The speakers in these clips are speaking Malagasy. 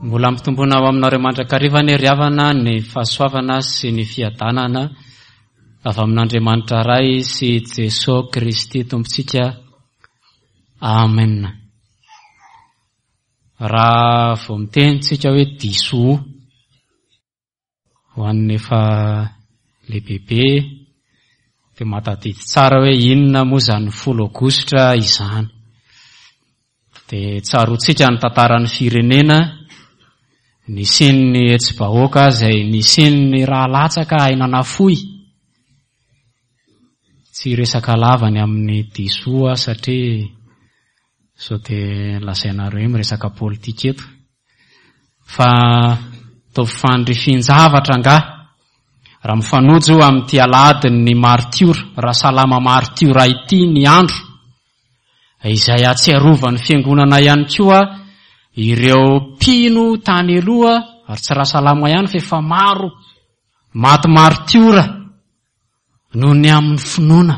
Mbola ampitomboina ao aminareo mandrakariva anie ry havana ny fahasoavana sy ny fiadanana avy amin'Andriamanitra Ray sy Jesoa Kristy Tompontsika. Amen. Raha vao miteny tsika hoe diso Ho an'ny efa lehibebe dia mahatadidy tsara hoe inona moa izany folo aogositra izany. Dia tsaroantsika ny tantaran'ny firenena, nisian'ny hetsi-bahoaka izay nisian'ny rà latsaka aina nafoy. Tsy hiresaka lava ny amin'ny diso aho satria sao dia lazainareo hoe miresaka politika eto. Fa ataovy fanindrifin-javatra angaha raha mifanojo amin'ity alahadin'ny martiora, Rasalama martiora ity ny andro, izay ahatsiarovan'ny Fiangonana ihany koa ireo mpino tany aloha, ary tsy Rasalama ihany fa efa maro maty martiora noho ny amin'ny finoana.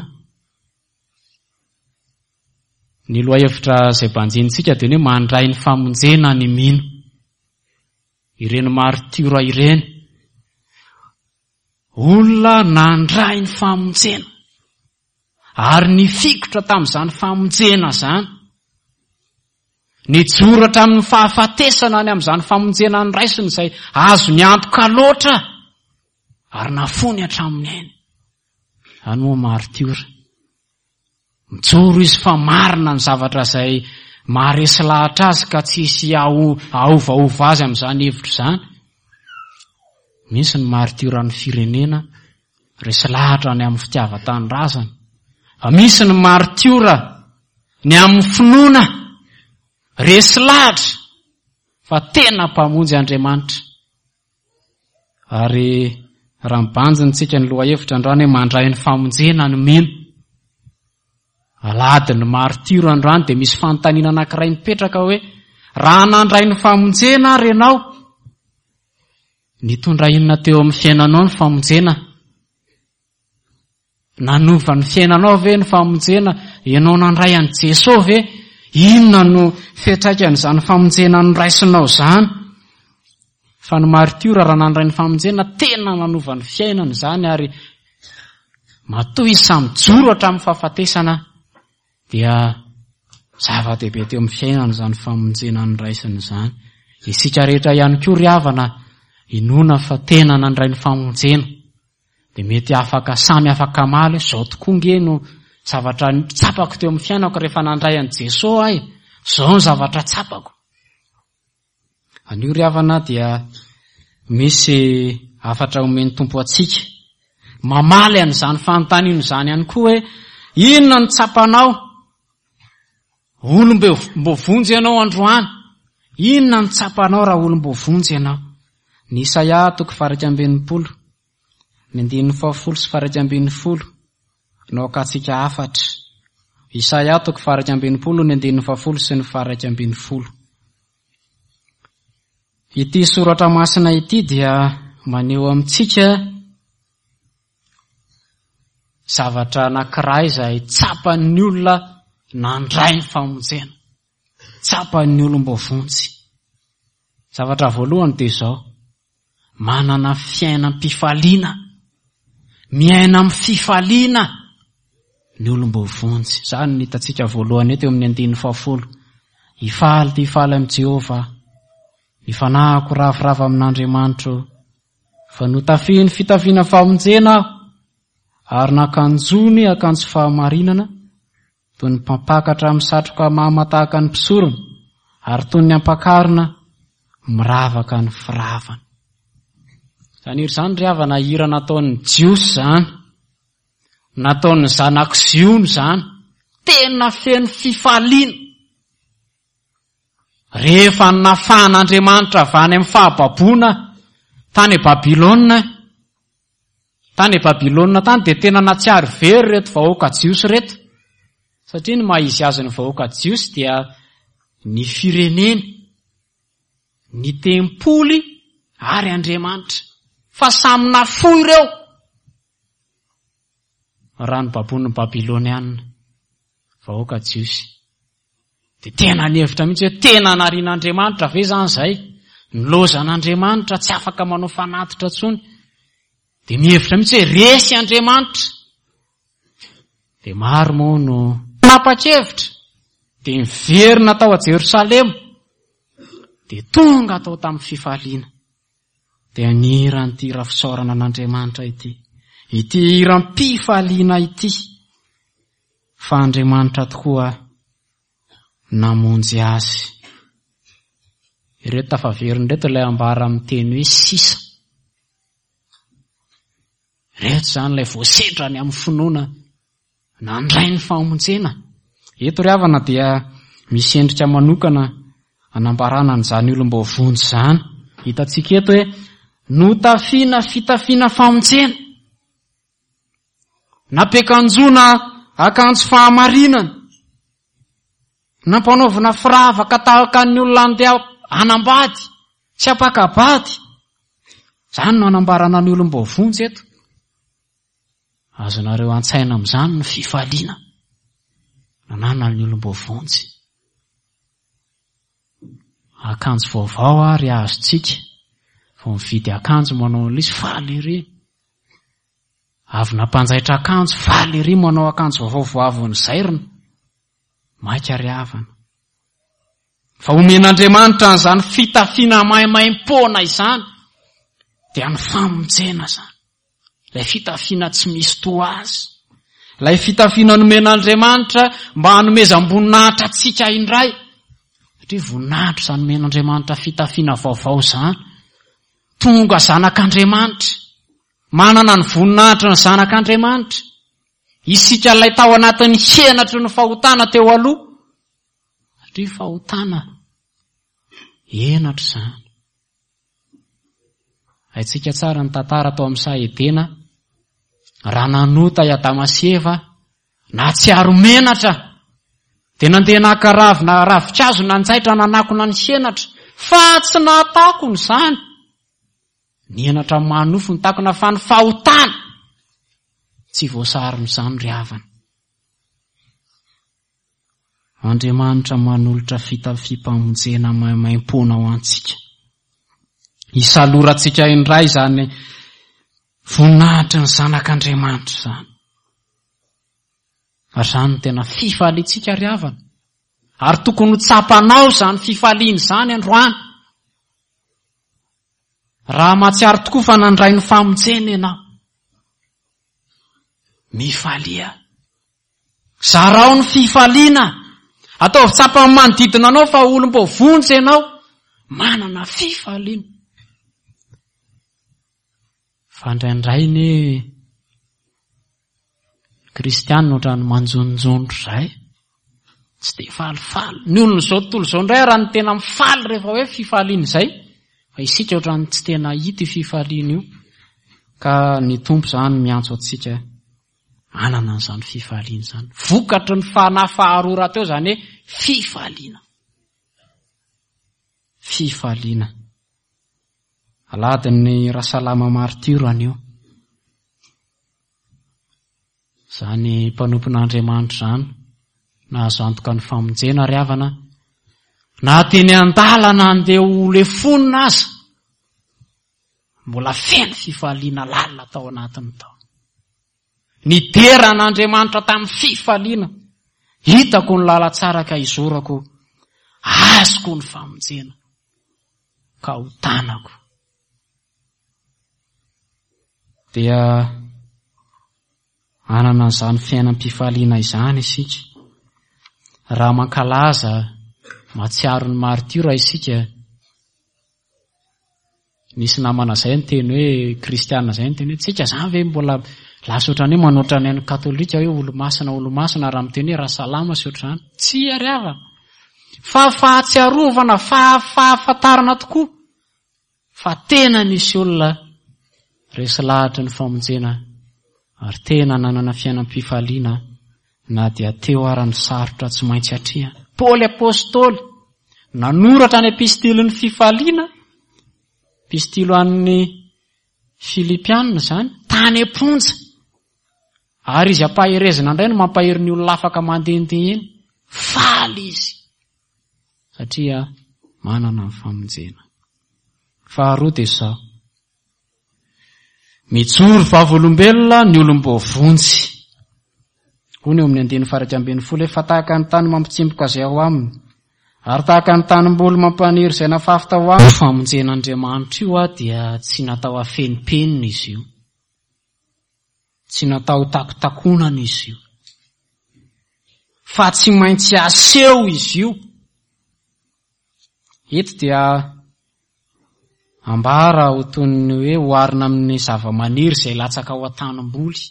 Ny lohahevitra izay banjinintsika dia ny hoe mandray ny famonjena ny mino. Ireny martiora ireny. Olona nandray ny famonjena. Ary nifikitra tamin'izany famonjena izany. Nijoro hatramin'ny fahafatesana any amin'izany famonjena noraisiny izay azony antoka loatra ary nafony hatramin'ny ainy. Izany moa martiora. Mijoro izy fa marina ny zavatra izay maharesy lahatra azy ka tsy hisy haovaova azy amin'izany hevitra izany. Misy ny martioran'ny firenena, resy lahatra ny amin'ny fitiavan-tanindrazana. Fa misy ny martiora ny amin'ny finoana, resy lahatra fa tena mpamonjy Andriamanitra. Ary raha mibanjina tsika ny lohahevitra androany hoe mandray ny famonjena ny mino. Alahady ny martiora androany dia misy fanontaniana anankiray mipetraka hoe raha nandray ny famonjena ary ianao, nitondra inona teo amin'ny fiainanao ny famonjena? Nanova ny fiainanao ve ny famonjena? Ianao nandray an'i Jesoa ve? Inona no fiantraikan'izany famonjena noraisinao izany? Fa ny martiora raha nandray ny famonjena tena nanova ny fiainany izany ary matoa izy samy mijoro hatramin'ny fahafatesana dia zava-dehibe teo amin'ny fiainany izany famonjena noraisiny izany. Isika rehetra ihany koa ry havana inoana fa tena nandray ny famonjena. Dia mety afaka samy afaka hamaly hoe izao tokoa nge no zavatra tsapako teo amin'ny fiainako rehefa nandray an'i Jesoa aho e, izao ny zavatra tsapako. Anio ry havana dia misy hafatra omen'ny Tompo antsika. Mamaly an'izany fanontaniana izany ihany koa hoe inona no tsapanao? Olom-boavonjy ianao androany. Inona no tsapanao raha olom-boavonjy ianao? Ny Isaia toko faha-61, ny andininy fahafolo sy faha-11 no akantsika hafatra. Isaia toko faha-61, ny andininy fahafolo sy ny faha-11. Ity soratra masina ity dia maneho amintsika Zavatra anankiray izay tsapan'ny olona nandray ny famonjena. Tsapan'ny olom-boavonjy. Zavatra voalohany dia izao, manana fiainam-pifaliana, miaina amin'ny fifaliana ny olom-boavonjy. Izany no hitantsika voalohany eto eo amin'ny andininy fahafolo. Hifaly dia hifaly amin'i Jehovah, ny fanahiko ravoravo amin'Andriamanitro, Fa notafihiny fitafiana famonjena aho, ary nakanjony akanjo fahamarinana, toy ny mpampakatra misatroka mama tahaka ny mpisorona, ary toy ny ampakarina miravaka ny firavany. Izany hira izany ry havana, hira nataon'ny Jiosy izany, nataon'ny zanak'i Ziona izany, tena feno fifaliana. Rehefa nafahan'Andriamanitra avy any amin'ny fahababoana tany Babylona, tany Babylona tany dia tena natsiary very ireto vahoaka jiosy ireto. Satria ny maha izy azy ny vahoaka jiosy dia ny fireneny, ny tempoly ary Andriamanitra. Fa samy nafoy ireo raha nobaboin'ny Babyloniana, vahoaka jiosy. Dia tena nihevitra mihitsy hoe tena narian'Andriamanitra ve izany izay? Nilaozan'Andriamanitra, tsy afaka manao fanatitra intsony. Dia mihevitra mihitsy hoe resy Andriamanitra. Dia maro moa no nanapa-kevitra, dia niverina tao a Jerosalema, dia tonga tao tamin'ny fifaliana. Dia nihira an'ity hira fisaorana an'Andriamanitra ity, ity hiram-pifaliana ity, fa Andriamanitra tokoa namonjy azy. Ireto tafaverina ireto ilay ambara amin'ny teny hoe sisa. Ireto izany ilay voasedra ny amin'ny finoana nandray ny famonjena. Eto ry havana dia misy endrika manokana anambarana an'izany olom-boavonjy izany. Hitantsika eto hoe notafiana fitafiana famonjena. Nampiakanjoana akanjo fahamarinana. Nampanaovina firavaka tahaka ny olona andeha hanambady sy hampaka-bady. Izany no anambarana ny olom-boavonjy eto. Azonareo an-tsaina amin'izany ny fifaliana nananan'ny olom-boavonjy. Akanjo vaovao ary azontsika vao mividy akanjo manao an'ilay izy, faly ery. Avy nampanjaitra akanjo, faly ery manao akanjo vaovao vao avy nozairina. Maika ry havana. Fa omen'Andriamanitra an'izany fitafiana maimaimpoana izany, dia ny famonjena izany. Ilay fitafiana tsy misy toa azy. Ilay fitafiana nomen'Andriamanitra mba hanomezam-boninahitra antsika indray. Satria voninahitra izany omen'Andriamanitra fitafiana vaovao izany. Tonga zanak'Andriamanitra. Manana ny voninahitry ny zanak'Andriamanitra. Isika ilay tao anatin'ny henatry ny fahotana teo aloha. Satria fahotana henatra izany. Haintsika tsara ny tantara tao amin'ny saha Edena, raha nanota i Adama sy Eva, nahatsiaro menatra, dia nandeha naka ravina ravinkazo nanjaitra nanakona ny henatra, fa tsy nahatakona izany. Ny henatra maha nofo ny takona fa ny fahotana tsy voasaron'izany ry havana. Andriamanitra manolotra fitafiam-pamonjena maimaimpoana ho antsika. Hisalorantsika indray izany voninahitry ny zanak'Andriamanitra izany. Ary izany no tena fifaliantsika ry havana. Ary tokony ho tsapanao izany fifaliana izany androany. Raha mahatsiaro tokoa fa nandray ny famonjena ianao, mifalia. Zarao ny fifaliana. Ataovy tsapan'ny manodidina anao fa olom-boavonjy ianao, manana fifaliana. Fa indraindray ny kristianina ohatran'ny manjononjono izay. Tsy dia falifaly. Ny olon'izao tontolo izao indray raha ny tena mifaly rehefa hoe fifaliana izay, fa isika ohatran'ny tsy tena hita io fifaliana io. Ka ny Tompo izany miantso antsika hanana an'izany fifaliana izany. Vokatry ny fanahy faharoa rahateo izany hoe fifaliana. Fifaliana. Alahadin'ny Rasalama Martiora anio. Izany mpanompon'Andriamanitra izany, nahazo antoka ny famonjena ry havana, na teny an-dalana andeha ho lefonina aza, mbola feno fifaliana lalina tao anatiny tao. Nidera an'Andriamanitra tamin'ny fifaliana. Hitako ny lalantsara ka izorako, azoko ny famonjena ka ho tanako. Dia hanana an'izany fiainam-pifaliana izany isika. Raha mankalaza, mahatsiaro ny martiora isika, Nisy namana zay niteny hoe kristiana zay niteny hoe tsika zany ve mbola lasa ohatran'ny hoe manoatra ny an'ny katolika hoe olomasina olomasina raha miteny hoe rasalama sy ohatr'izany. Tsia ry havana. Fa fahatsiarovana, fahafantarana tokoa fa tena nisy olona resy lahatry ny famonjena ary tena nanana fiainam-pifaliana na dia teo ara ny sarotra tsy maintsy atrehana. Paoly Apostoly nanoratra ny epistilin'ny fifaliana, epistily ho an'ny Filipiana izany, tany am-ponja. Ary izy ampaherezina indray no mampahery ny olona afaka mandehandeha eny. Faly izy satria manana ny famonjena. Faharoa dia izao. Mijoro vavolombelona ny olom-boavonjy. Hoy ny eo amin'ny andininy faha 11 hoe fa tahaka ny tany mampitsimboka izay ao aminy, ary tahaka ny tanimboly mampaniry izay nafafy tao aminy. Io famonjen'Andriamanitra io dia tsy natao hafenimpenina izy io. Tsy natao ho takotakonana izy io. Fa tsy maintsy aseho izy io. Eto dia ambara ho toy ny hoe oharina amin'ny zavamaniry izay latsaka ao an-tanimboly.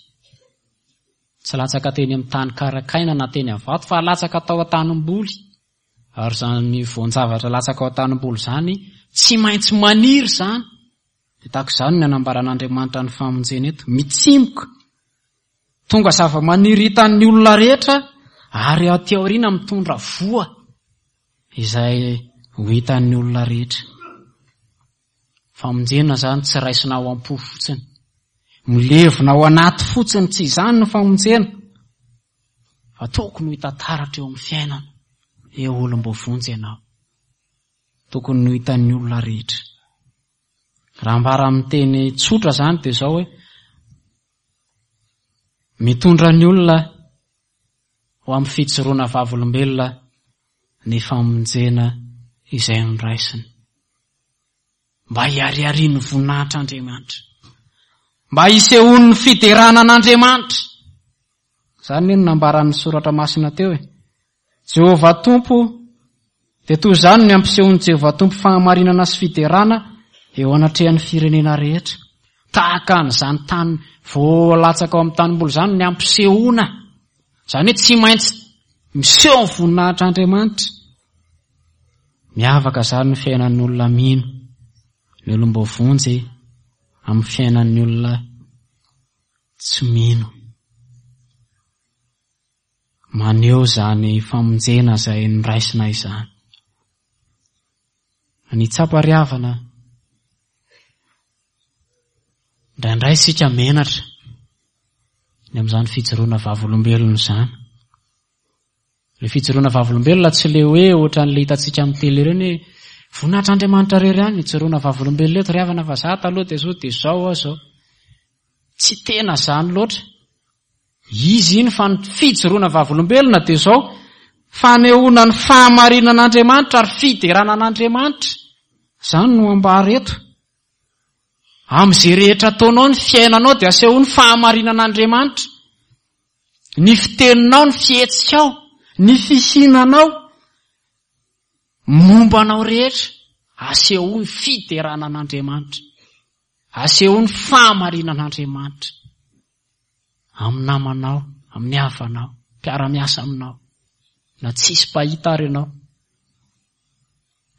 Tsy latsaka teny amin'ny tany karakaina na teny amin'ny vato fa latsaka tao an-tanimboly. Ary izany voan-javatra latsaka ao an-tanimboly izany tsy maintsy maniry izany. Dia tahaka izany ny anambaran'Andriamanitra ny famonjena eto. Mitsimoka. Tonga zava-maniry hitan'ny olona rehetra ary aty aoriana mitondra voa izay ho hitan'ny olona rehetra. Famonjena izany tsy raisina ao am-po fotsiny. Milevina ao anaty fotsiny, tsy izany ny famonjena. Fa tokony ho hita taratra eo amin'ny fiainana. Eo olom-boavonjy ianao. Tokony ho hitan'ny olona rehetra. Raha ambara amin'ny teny tsotra izany dia izao hoe mitondra ny olona ho amin'ny fijoroana vavolombelona ny famonjena izay noraisiny. Mba hihariharian'ny voninahitr'Andriamanitra. Mba hisehoan'ny fiderana an'Andriamanitra. Izany no nambaran'ny soratra masina teo e. Jehovah Tompo, dia toy izany ny ampisehoan'i Jehovah Tompo fahamarinana sy fiderana eo anatrehan'ny firenena rehetra. Tahaka an'izany tany voalatsaka ao amin'ny tanimboly izany ny ampisehoana. Izany hoe tsy maintsy miseho ny voninahitr'Andriamanitra. Miavaka izany ny fiainan'ny olona mino, ny olom-boavonjy amin'ny fiainan'ny olona tsy mino. Maneho izany famonjena izay noraisina izany. Ny tsapa ry havana, indraindray isika menatra ny amin'izany fijoroana vavolombelona izany. Ilay fijoroana vavolombelona tsy le hoe ohatran'ilay hitantsika amin'ny télé ireny hoe voninahitr'Andriamanitra irery ihany ny ijoroana vavolombelona eto ry havana fa za taloha dia zao dia zao aho zao. Tsy tena izany loatra. Izy iny fa ny fijoroana vavolombelona dia izao, fanehoana ny fahamarinan'Andriamanitra ary fiderana an'Andriamanitra. Izany no ambara eto. Amin'izay rehetra ataonao ny fiainanao dia asehoy ny fahamarinan'Andriamanitra. Ny fiteninao, ny fihetsikao, ny fihinanao, momba anao rehetra, asehoy ny fiderana an'Andriamanitra. Asehoy ny fahamarinan'Andriamanitra. Amin'ny namanao, amin'ny havanao, mpiara-miasa aminao, na tsisy mpahita ary ianao.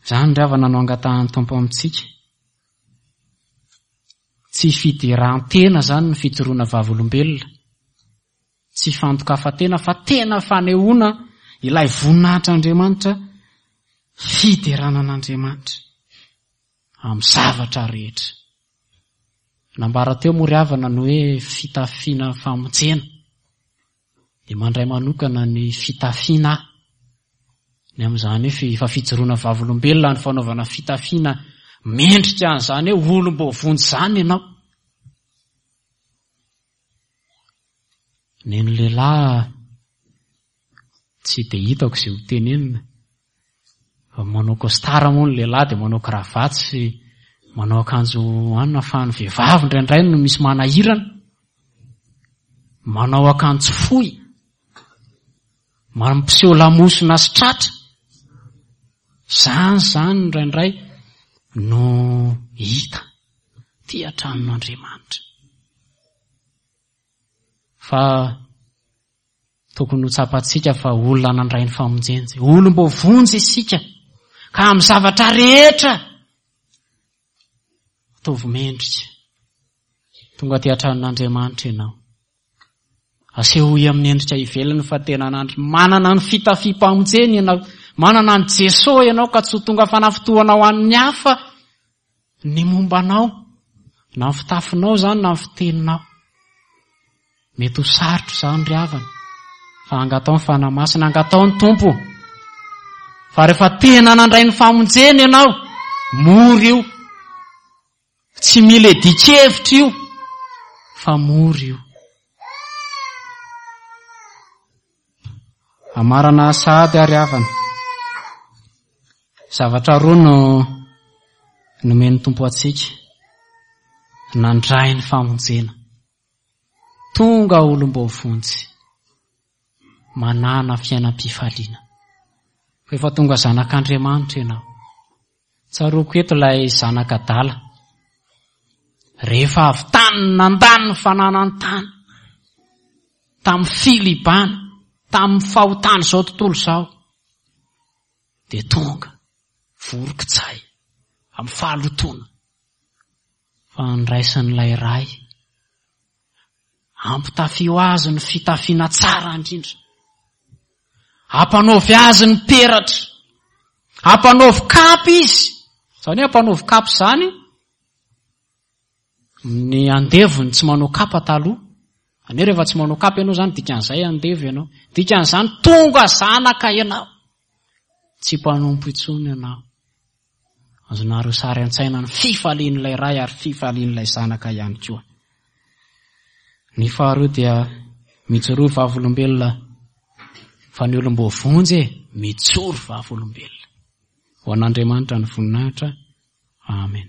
Izany ry havana no angatahan'ny Tompo amintsika. Tsy fideran-tena izany ny fijoroana vavolombelona. Tsy fandokafan-tena fa tena fanehoana ilay voninahitr'Andriamanitra, fiderana an'Andriamanitra. amin'ny zavatra rehetra. Nambara teo moa ry havana ny hoe fitafiana famonjena. Dia mandray manokana ny fitafiana aho. Ny amin'izany hoe efa fijoroana vavolombelona ny fanaovana fitafiana mendrika an'izany hoe olom-boavonjy izany ianao. Neny lehilahy Tsy dia hitako izay ho tenenina. Fa manao costard moa ny lehilahy dia manao cravate sy manao akanjo anona fa ny vehivavy indraindray no misy manahirana. Manao akanjo fohy. Mampiseho lamosina sy tratra. Izany izany indraindray no hita. Tia tranon'Andriamanitra. Fa Tokony ho tsapantsika fa olona nandray ny famonjena isika. Olom-boavonjy isika. Ka amin'ny zavatra rehetra, ataovy mendrika. Tonga aty an-tranon'Andriamanitra ianao. Asehoy amin'ny endrika ivelany fa tena anandry manana ny fitafiam-pamonjena ianao. Manana an'i Jesoa ianao ka tsy ho tonga fanafitohana ho an'ny hafa ny momba anao. Na ny fitafinao izany na ny fiteninao. Mety ho sarotra izany ry havana, fa angatao ny Fanahy Masina, angatao ny Tompo. Fa rehefa tena nandray ny famonjena ianao, mora io. Tsy mila iadian-kevitra io fa mora io. Amarana sahady ary havana. Zavatra roa no nomen'ny Tompo antsika. Nandray ny famonjena. Tonga olom-boavonjy. Manana fiainam-pifaliana. Rehefa tonga zanak'Andriamanitra ianao. Tsaroako eto ilay zanak'adala. Rehefa avy tany nandany ny fananany tany, tamin'ny filibana, tamin'ny fahotan'izao tontolo izao, dia tonga vorokitsay amin'ny fahalotoana fa andraisan'ilay Ray. Ampitafio azy ny fitafiana tsara indrindra. Ampanaovy azy ny peratra. Ampanaovy kapa izy. Izany hoe ampanaovy kapa izany, ny andevony tsy manao kapa taloha. Izany hoe rehefa tsy manao kapa ianao izany, dikan'izay andevo ianao. Dikan'izany tonga zanaka ianao. Tsy mpanompo intsony ianao. Azonareo sary an-tsaina ny fifalian'ilay Ray ary fifalian'ilay Zanaka ihany koa. Ny faharoa dia mijoroa vavolombelona fa ny olom-boavonjy e, mijoro vavolombelona. Ho an'Andriamanitra ny voninahitra. Amen.